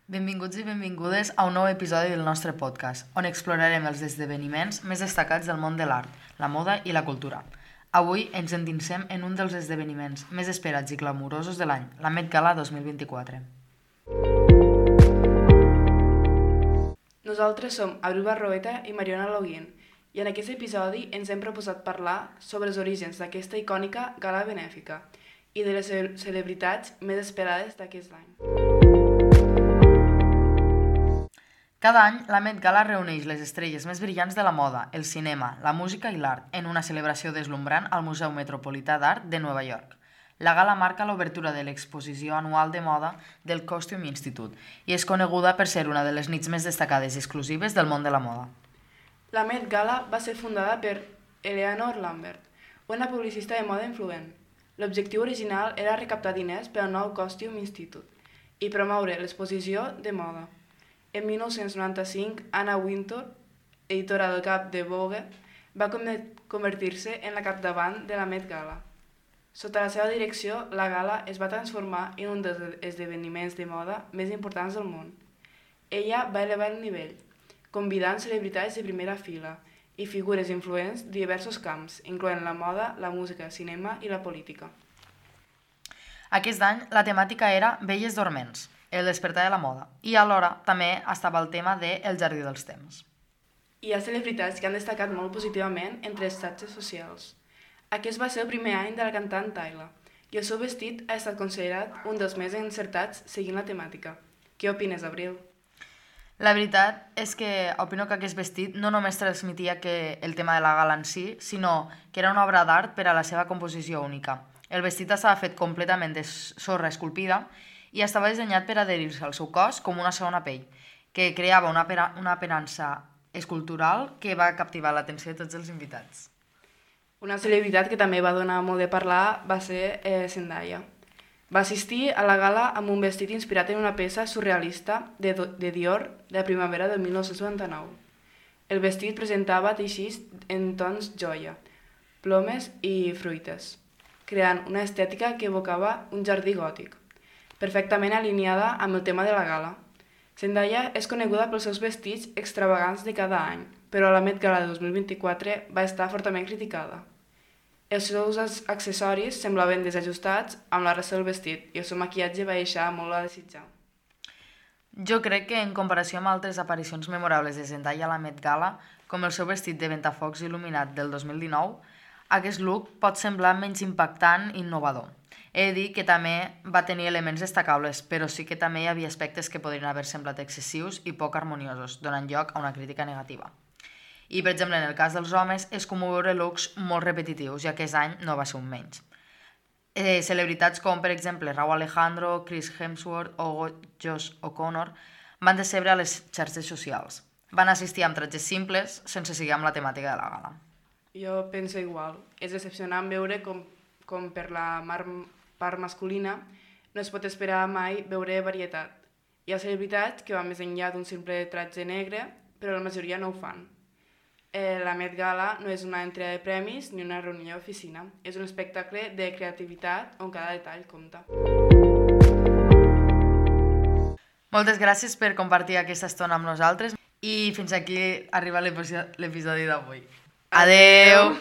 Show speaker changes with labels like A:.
A: Benvinguts i benvingudes a un nou episodi del nostre podcast, on explorarem els esdeveniments més destacats del món de l'art, la moda i la cultura. Avui ens endinsem en un dels esdeveniments més esperats i glamurosos de l'any, la Met Gala 2024.
B: Nosaltres som Abril Barroeta i Mariona Loguín, i en aquest episodi ens hem proposat parlar sobre els orígens d'aquesta icònica gala benèfica i de les celebritats més esperades d'aquest any.
A: Cada any, la Met Gala reuneix les estrelles més brillants de la moda, el cinema, la música i l'art en una celebració deslumbrant al Museu Metropolità d'Art de Nova York. La gala marca l'obertura de l'exposició anual de moda del Costume Institute i és coneguda per ser una de les nits més destacades i exclusives del món de la moda.
B: La Met Gala va ser fundada per Eleanor Lambert, una publicista de moda influent. L'objectiu original era recaptar diners per al nou Costume Institute i promoure l'exposició de moda. En 1995, Anna Wintour, editora del cap de Vogue, va convertir-se en la capdavant de la Met Gala. Sota la seva direcció, la gala es va transformar en un dels esdeveniments de moda més importants del món. Ella va elevar el nivell, convidant celebritats de primera fila i figures influents de diversos camps, incloent la moda, la música, el cinema i la política.
A: Aquest any, la temàtica era Belles dorments, el despertar de la moda, i alhora també estava el tema de El jardí dels temps.
B: Hi ha celebritats que han destacat molt positivament entre les xarxes socials. Aquest va ser el primer any de la cantant Tyla, i el seu vestit ha estat considerat un dels més encertats seguint la temàtica. Què opines, Abril?
A: La veritat és que opino que aquest vestit no només transmetia el tema de la gala en si, sinó que era una obra d'art per a la seva composició única. El vestit estava fet completament de sorra esculpida i estava dissenyat per adherir-se al seu cos com una segona pell, que creava una aparença escultural que va captivar l'atenció de tots els invitats.
B: Una celebritat que també va donar molt de parlar va ser Zendaya. Va assistir a la gala amb un vestit inspirat en una peça surrealista de Dior de la primavera del 1999. El vestit presentava teixits en tons joia, plomes i fruites, creant una estètica que evocava un jardí gòtic, perfectament alineada amb el tema de la gala. Zendaya és coneguda pels seus vestits extravagants de cada any, però la Met Gala de 2024 va estar fortament criticada. Els seus accessoris semblaven desajustats amb la resta del vestit i el seu maquillatge va deixar molt a desitjar.
A: Jo crec que en comparació amb altres aparicions memorables de Zendaya a la Met Gala, com el seu vestit de ventafocs il·luminat del 2019, aquest look pot semblar menys impactant i innovador. He de dir que també va tenir elements destacables, però sí que també hi havia aspectes que podrien haver semblat excessius i poc harmoniosos, donant lloc a una crítica negativa. I, per exemple, en el cas dels homes, és comú veure looks molt repetitius, i aquest any no va ser un menys. Celebritats com, per exemple, Rauw Alejandro, Chris Hemsworth o Josh O'Connor van decebre a les xarxes socials. Van assistir amb tratges simples, sense seguir amb la temàtica de la gala.
B: Jo penso igual. És decepcionant veure com per la part masculina no es pot esperar mai veure varietat. Hi ha celebritats que van més enllà d'un simple tratge negre, però la majoria no ho fan. La Met Gala no és una entrega de premis ni una reunió d'oficina. És un espectacle de creativitat on cada detall compta.
A: Moltes gràcies per compartir aquesta estona amb nosaltres i fins aquí arriba l'episodi d'avui. Adeu!